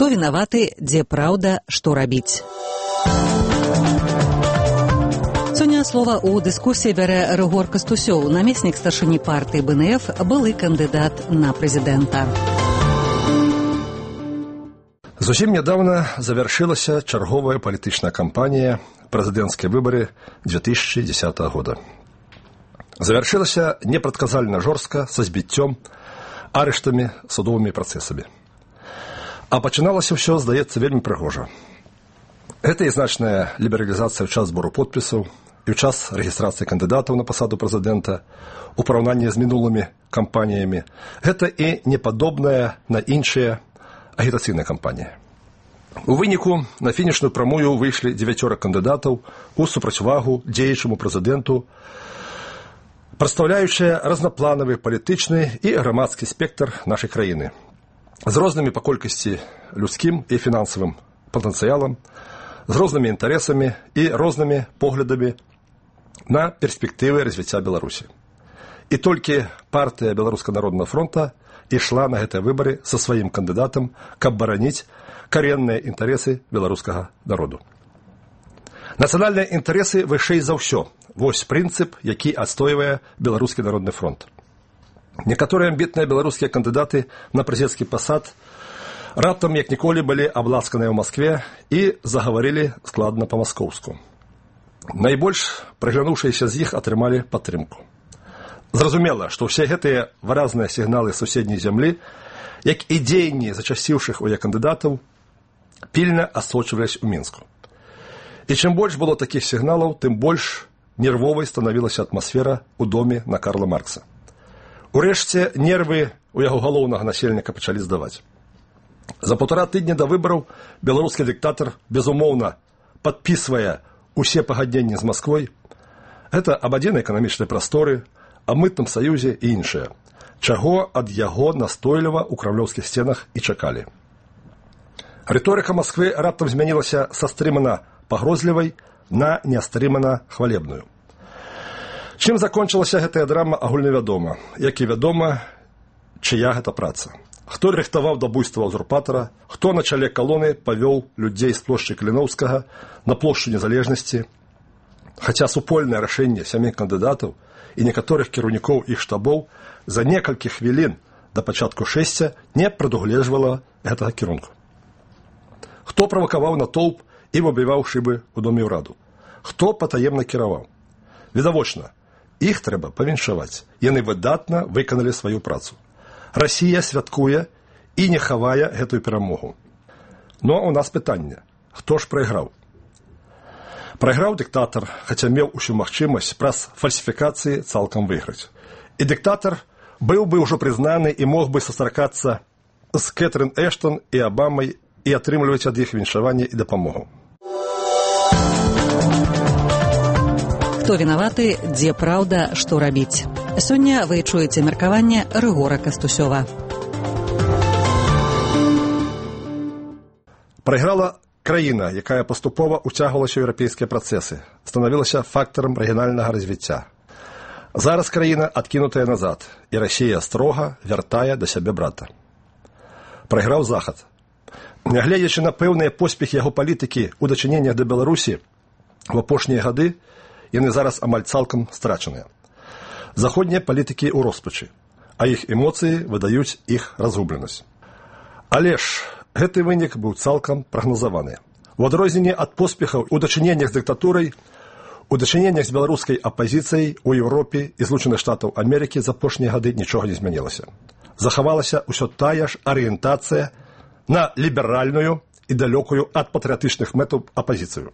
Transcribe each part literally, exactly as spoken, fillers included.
Хто вінаваты, дзе праўда, што рабіць. Сёння слова ў дыскусіі бярэ Рыгор Кастусёў, намеснік старшыні партыі бэ эн эф, былы кандыдат на прэзідэнта. Зусім нядаўна завяршылася чарговая палітычная кампанія прэзідэнцкія выбары две тысячи десятого года. Завяршылася непрадказальна жорстка, са збіццём, арыштамі, судовымі працэсамі. А пачыналася ўсё, здаецца, вельмі прыгожа. Гэта і значная лібералізацыя ў час збору подпісаў, і ў час рэгістрацыі кандыдатаў на пасаду прэзідэнта у параўнанні з мінулымі кампаніямі. Гэта і непадобная на іншыя агітацыйныя кампаніі. У выніку на фінішную прамую выйшлі дзевяцёра кандыдатаў у супрацьвагу дзеючаму прэзідэнту, прадстаўляючыя разнапланавы палітычны і грамадскі спектр нашай краіны з рознымі па колькасці людскім і фінансавым патэнцыялам, з рознымі інтарэсамі і рознымі поглядамі на перспектывы развіцця Беларусі. І толькі партыя Беларускага народнага фронта ішла на гэтыя выбары са сваім кандыдатам, каб бараніць карэнныя інтарэсы беларускага народу. Нацыянальныя інтарэсы вышэй за ўсё. Вось прынцып, які адстойвае Беларускі народны фронт. Некаторыя амбітныя беларускія кандыдаты на прэзідэнцкі пасад раптам, як ніколі, былі абласканыя ў Маскве і загаварылі складна па-маскоўску. Найбольш прыглянуўшыеся з іх атрымалі падтрымку. Зразумела, што ўсе гэтыя выразныя сігналы суседняй зямлі, як і дзеянні зачасціўшых у яе кандыдатаў, пільна асочвались у Мінску. І чым больш было такіх сігналаў, тым больш нервовай станавілася атмасфера ў доме на Карла Маркса. Урэшце, нервы у яго галоўнага насельніка пачалі здаваць. За паўтара тыдня да выбараў беларускі дыктатар, безумоўна, падпісвае усе пагадненні з Масквой. Гэта аб адзінай эканамічнай прасторы, аб мытным саюзе і іншае, чаго ад яго настойліва ў крамлёўскіх сценах і чакалі. Рыторыка Масквы раптам змянілася са стрымана пагрозлівай на нястрымана хвалебную. Чым закончылася гэтая драма, агульнавядома, як і вядома, чыя гэта праца. Хто рыхтаваў да буйства ўзурпатара, хто на чале калоны павёў людзей з плошчы Каліноўскага на плошчу Незалежнасці, хаця супольнае рашэнне сямі кандыдатаў і некаторых кіраўнікоў іх штабоў за некалькі хвілін да пачатку шэсця не прадугледжвала гэтага кірунку. Хто правакаваў натоўп і выбіваў шыбы ў доме ўраду? Хто патаемна кіраваў? Відавочна, іх трэба павіншаваць. Яны выдатна выканалі сваю працу. Расія святкуе і не хавае гэтую перамогу. Но у нас пытанне. Хто ж прайграў? Прайграў дыктатар, хаця меў усю магчымасць праз фальсіфікацыі цалкам выйграць. І дыктатар быў бы ўжо прызнаны і мог бы сустракацца з Кэтрын Эштон і Абамай і атрымліваць ад іх віншаванне і дапамогу. Хто вінаваты, дзе праўда, што рабіць. Сёння вы чуеце меркаванне Рыгора Кастусёва. Прайграла краіна, якая паступова уцягвалася ў еўрапейскія працэсы, станавілася фактарам рэгіянальнага развіцця. Зараз краіна адкінутая назад, і Расія строга вяртае да сябе брата. Прайграў Захад. Нягледзячы на пэўныя поспехі яго палітыкі ў дачыненнях да Беларусі, в апошнія гады яны зараз амаль цалкам страчаныя. Заходнія палітыкі ў роспачы, а іх эмоцыі выдаюць іх разгубленасць. Але ж гэты вынік быў цалкам прагназаваны. У адрозненне ад поспехаў у дачыненнях з дыктатурай, у дачыненнях з беларускай апазіцыяй у Еўропе і Злучаных Штатаў Амерыкі за апошнія гады нічога не змянілася. Захавалася ўсё тая ж арыентацыя на ліберальную і далёкую ад патрыятычных мэтаў апазіцыю.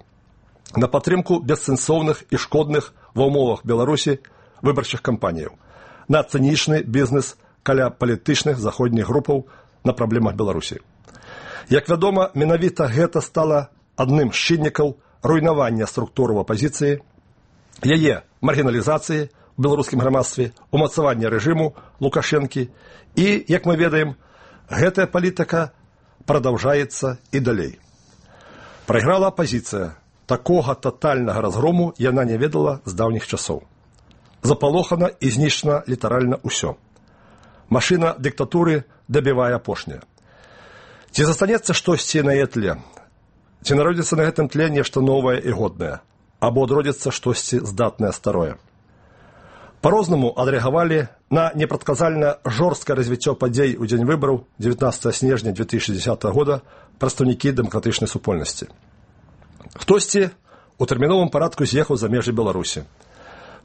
На падтрымку бессэнсоўных і шкодных ва ўмовах Беларусі выбарчых кампаніяў, на цынічны бізнес каля палітычных заходніх групаў на праблемах Беларусі. Як вядома, менавіта гэта стала адным з чыннікаў руйнавання структураў апазіцыі, яе маргіналізацыі ў беларускім грамадстве, умацавання рэжыму Лукашэнкі і, як мы ведаем, гэтая палітыка прадаўжаецца і далей. Прайграла апазіцыя. Такога татальнага разгрому яна не ведала з даўніх часоў. Запалохана і знішчана літаральна ўсё. Машына дыктатуры дабівае апошняе. Ці застанецца штосьці на яе тле? Ці народзіцца на гэтым тле нешта новае і годнае? Або адродзіцца штосьці здатнае старое? По-рознаму адрэагавалі на непрадказальна жорсткае развіццё падзей у дзень выбараў дзевятнаццатага снежня две тысячи десятого года прадстаўнікі дэмакратычнай супольнасці. Хтосьці у тэрміновым парадку з'ехаў за межы Беларусі.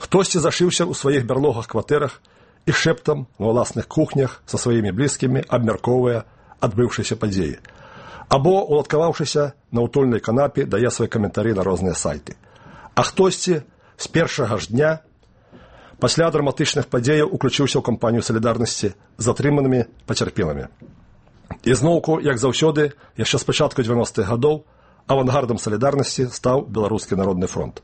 Хтосьці зашыўся ў сваіх бярлогах кватэрах і шэптам на ўласных кухнях са сваімі блізкімі абмяркоўвае адбыўшыся падзеі. Або, уладкаваўшыся на ўтульнай канапе, дае свае каментары на розныя сайты. А хтосьці з першага ж дня пасля драматычных падзеяў уключыўся ў кампанію салідарнасці з атрыманымі пацярпелымі. І зноўку, як заўсёды, яшчэ з пачатку дзевяностых гадоў авангардам салідарнасці стаў Беларускі народны фронт.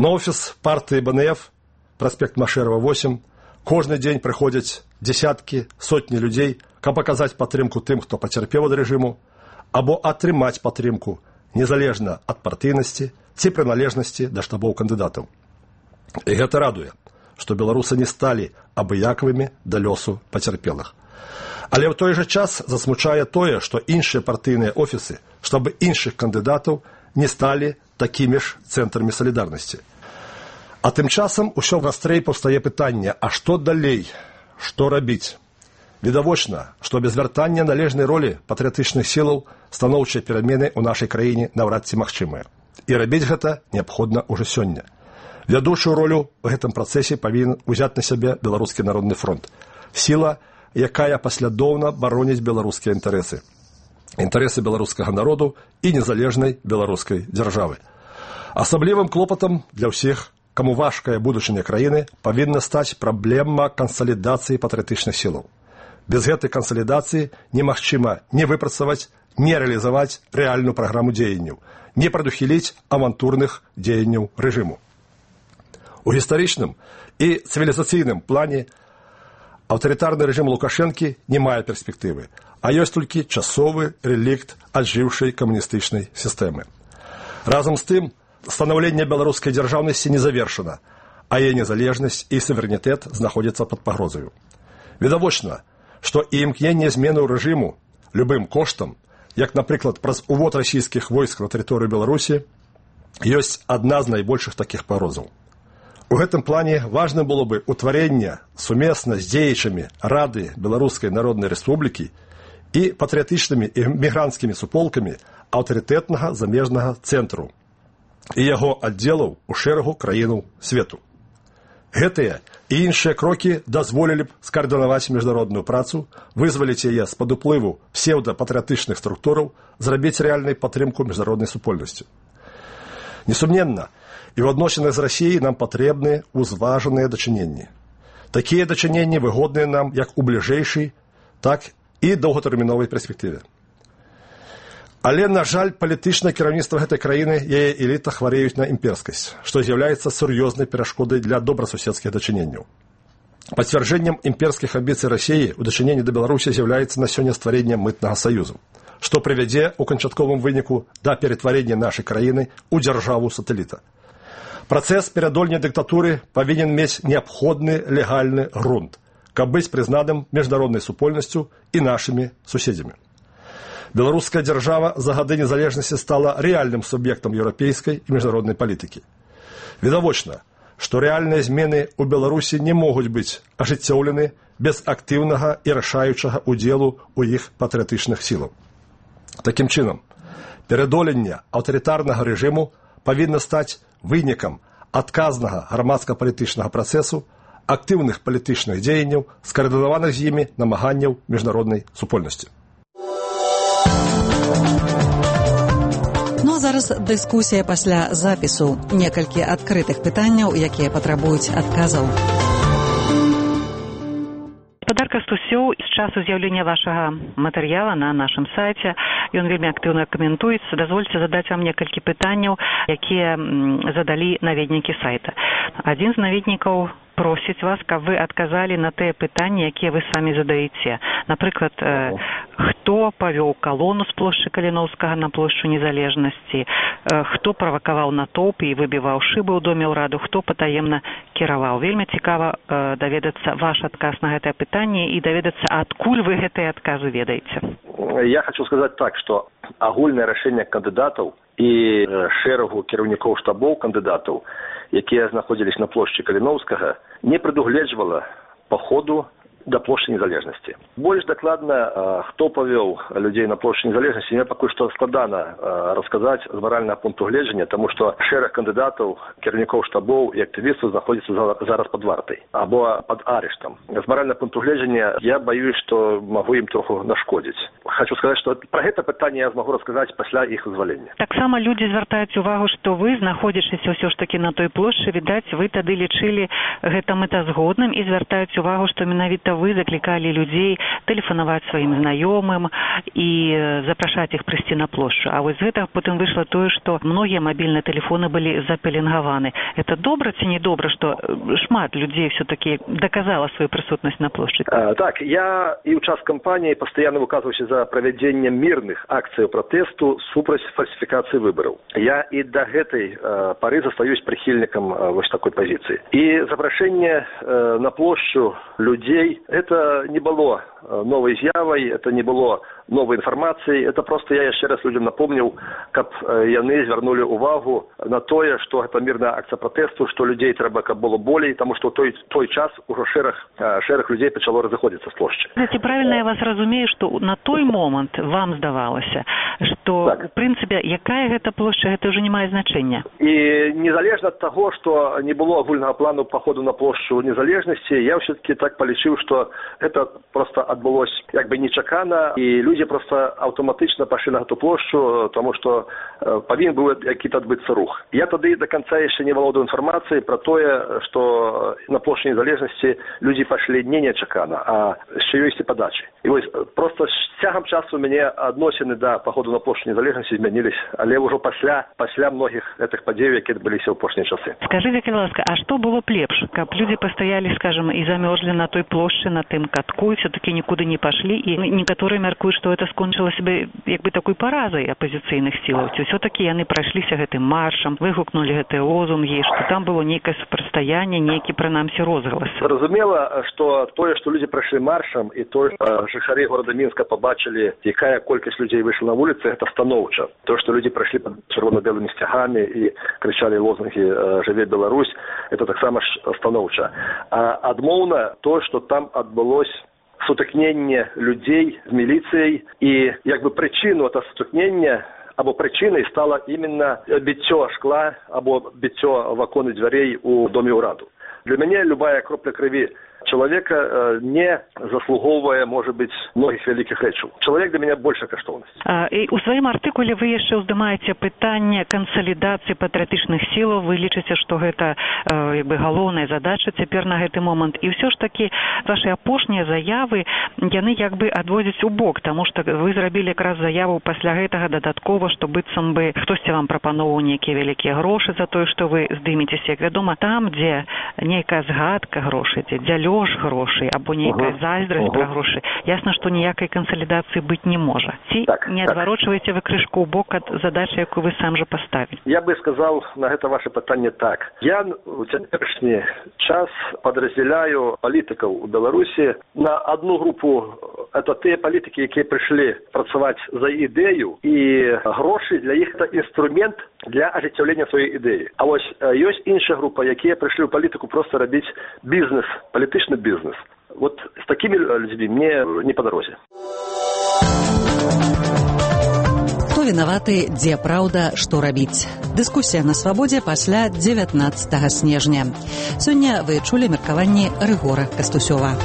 На офіс партыі бэ эн эф, праспект Машэрава восем, кожны дзень прыходзяць дзесяткі, сотні людзей, каб аказаць падтрымку тым, хто пацярпеў ад рэжыму, або атрымаць падтрымку, незалежна ад партыйнасці ці прыналежнасці да штабоў кандыдатаў. І гэта радуе, што беларусы не сталі абыякавымі да лёсу пацярпелых. Але ў той жа час засмучае тое, што іншыя партыйныя офісы, штабы іншых кандыдатаў не сталі такімі ж цэнтрамі салідарнасці. А тым часам усё вастрэй паўстае пытанне, а што далей, што рабіць? Відавочна, што без вяртання належнай ролі патрыятычных сілаў станоўчыя перамены ў нашай краіне наўрад ці магчымыя. І рабіць гэта неабходна ўжо сёння. Вядучую ролю ў гэтым працэсе павінен узяць на сябе Беларускі народны фронт. Сіла, якая паслядоўна бароніць беларускія інтарэсы. Інтарэсы беларускага народу і незалежнай беларускай дзяржавы. Асаблівым клопатам для ўсіх, каму важкая будучыня краіны, павінна стаць праблема кансалідацыі патрыятычных сілаў. Без гэтай кансалідацыі немагчыма не выпрацаваць, не рэалізаваць рэальную праграму дзеянняў, не прадухіліць авантурных дзеянняў рэжыму. У гістарычным і цывілізацыйным плане аўтарытарны рэжым Лукашэнкі не мае перспектывы, а ёсць толькі часовы рэлікт аджыўшай камуністычнай сістэмы. Разам з тым, станаўленне беларускай дзяржаўнасці не завершана, а яе незалежнасць і суверэнітэт знаходзяцца пад пагрозаю. Відавочна, што і імкненне змену рэжыму любым коштам, як, напрыклад, праз увод расійскіх войск на тэрыторыю Беларусі, ёсць адна з найбольшых такіх пагрозаў. У гэтым плане важным было бы ўтварэнне сумесна з дзеячамі Рады Беларускай Народнай Рэспублікі і патрыятычнымі і мігранцкімі суполкамі аўтарытэтнага замежнага цэнтру і яго аддзелаў у шэрагу краінаў свету. Гэтыя і іншыя крокі дазволілі б скаардынаваць міжнародную працу, вызваліць яе з-пад уплыву псеўдапатрыятычных структураў, зрабіць рэальнай падтрымку міжнароднай супольнасці. Несумненна, і ў адносінах з Расіяй нам патрэбныя узважаныя дачыненні. Такія дачыненні выгодныя нам як у бліжэйшай, так і доўгатэрміновай перспектыве. Але, на жаль, палітычнае кіраўніцтва гэтай краіны, яе эліта хварэюць на імперскасць, што з'яўляецца сур'ёзнай перашкодай для добрасуседскіх дачыненняў. Пацвярджэннем імперскіх амбіцый Расіі ў дачыненні да Беларусі з'яўляецца на сёння стварэнне мытнага саюзу, што прывядзе ў канчатковым выніку да ператварэння нашай краіны ў дзяржаву сатэліта. Працэс перадольня дыктатуры павінен мець неабходны легальны грунт, каб быць прызнаным міжнароднай супольнасцю і нашымі суседзямі. Беларуская дзяржава за гады незалежнасці стала рэальным суб'ектам еўрапейскай і міжнароднай палітыкі. Відавочна, што рэальныя змены ў Беларусі не могуць быць ажыццёўлены без актыўнага і рашаючага ўдзелу ў іх патрыятычных сілаў. Такім чынам, перадоленне аўтарытарнага рэжыму павінна стаць вынікам адказнага грамадска-палітычнага працэсу, актыўных палітычных дзеянняў, скаардынаваных з імі намаганняў міжнароднай супольнасці. Ну а зараз дыскусія пасля запісу. Некалькі адкрытых пытанняў, якія патрабуюць адказаў. Гаспадар Кастусёў, з часу з'яўлення вашага матэрыяла на нашым сайце, ён вельмі актыўна каментуецца. Дазвольце задаць вам некалькі пытанняў, якія задалі наведнікі сайта. Адзін з наведнікаў просіць вас, каб вы адказалі на тыя пытанні, якія вы самі задаеце. Напрыклад, э, хто павёў калону з плошчы Каліноўскага на плошчу Незалежнасці, э, хто правакаваў натоўп і выбіваў шыбы ў доме ўраду, хто патаемна кіраваў. Вельмі цікава э, даведацца ваш адказ на гэтае пытанне і даведацца, адкуль вы гэтыя адказы ведаеце. я хочу сказать так, что агульное решение кандидатов и шерагу кіраўнікоў штабов кандидатов, якія находились на площади Калиновского, не предугледживало по ходу до площади Незалежности. Больше докладно, кто повел людей на площадь Незалежности, мне пока что складано рассказать с морального пункту гледжання, потому что шераг кандидатов, кіраўнікоў штабов и активистов находятся зараз под вартой, або под арештом. С морального пункту гледжання я боюсь, что могу им троху нашкодить. Хочу сказать, что про это питание я смогу рассказать после их вызволения. Так само люди звяртаюць увагу, что вы, знаходзячыся ўсё ж таки на той плошчы, відаць, вы тады лічылі гэта мэтазгодным і звяртаюць увагу, што менавіта вы закликали людей тэлефанаваць сваім знаёмым і запрашаць іх прыйсці на плошчу. А вось з гэтага потым выйшла тое, што многія мабільныя тэлефоны былі запеленгаваны. Это добра ці не добра, што шмат людей все-таки доказала свою присутность на площади? А, так, я и в час кампании постоянно выказываюсь за проведение мирных акций протесту супраць фальсификации выборов. Я и до этой э, поры застаюсь прихильником э, вот такой позиции. И запрошение э, на площадь людей это не было новой з'явой, это не было новой информацией, это просто я еще раз людям напомнил, каб яны звярнули увагу на тое, что это мирная акция протесту, что людей трэба каб было болей, потому что в той, той час уже шерах, шерах людей пачало разыходзіцца з плошчы. Знаете, правильно я вас разумею, что на той момент вам здавалася, что так. В принципе, якая гэта плошча, это уже не мае значения. И незалежно от того, что не было агульного плану по ходу на площадь Незалежности, я все-таки так полічыў, что это просто отбылось как бы нечакано, и люди просто автоматично пошли на эту площадь, потому что э, повинен был какие-то отбыться рух. Я тогда до конца еще не володаю информацией про то, что на площади Незалежности люди пошли не нечакано, а еще есть и подачи. И вот просто с тягом часу у меня относины до походу на площадь Незалежности изменились, але уже после, после многих этих подей, которые были в пошние часы. Скажите, пожалуйста, а что было б лепш? Как люди постояли, скажем, и замерзли на той площади, на тым катку, и все-таки никуда не пошли, и некоторые мяркуют, что это скончылася бы як бы такой паразай апозіцыйных сілаў. Все-таки яны прайшліся гэтым маршам, выгукнули гэтыя лозунги, что там было нейкае супрацьстаянне, нейкі прынамсі розгалас. Зразумела, что тое, что люди прайшлі маршам, и то, что жыхары города Мінска побачили, якая колькасць людей вышла на улицы, это станоўча. То, что люди прайшлі под чырвона-белыми стягами и кричали лозунги «Жыве Беларусь», это так само станоўча. А адмоўна то, что там отбылось сутыкнення людей з міліцыяй, і як бы прычыну это сутыкнення або прычынай стала именно біццё шкла або біццё в оконы дзвярэй у доме ўраду. Для мяне любая кропля крыві человека э, не заслуговывая, может быть, многих великих рэчаў. Человек для меня больше каштоўнасць. А, і у сваім артыкуле вы яшчэ ўздымаеце пытанне кансалідацыі патрыятычных сілаў. Вы лічыце, што гэта э, як бы галоўная задача цяпер на гэты момант. І ўсё ж такі ваши апошнія заявы, яны як бы адводзяць у бок, таму што вы зрабілі якраз заяву пасля гэтага дадаткова, што быццам бы хтосьці вам прапаноўваў нейкія вялікія грошы за тое, што вы здымецеся. Як вядома, там, дзе нейкая згадка грошай, дзе лёж грошай, або нейкая зайздрасць uh-huh. пра грошы, ясна, што ніякай кансалідацыі быць не можа. Ці так, не адварочваеце так. Вы крышку ў бок ад задачы, якую вы сам жа паставілі? Я бы сказал на гэта ваше пытанне так. Я у цяперашні час падраздзяляю палітыкаў у Беларусі на одну групу. Это тыя палітыкі, якія прыйшлі працаваць за ідэю, і грошы для іх это інструмент для ажыццяўлення сваёй ідэі. А вось ёсць іншая група, якія прыйшлі ў палітыку просто рабіць бізнес, палітычны бізнес. Вот с такими людьми мне не по дорозе. Хто вінаваты, дзе праўда, што рабіць? Дыскусія на свабодзе пасля дзевятнаццатага снежня. Сёння вы чулі меркаванні Рыгора Кастусёва.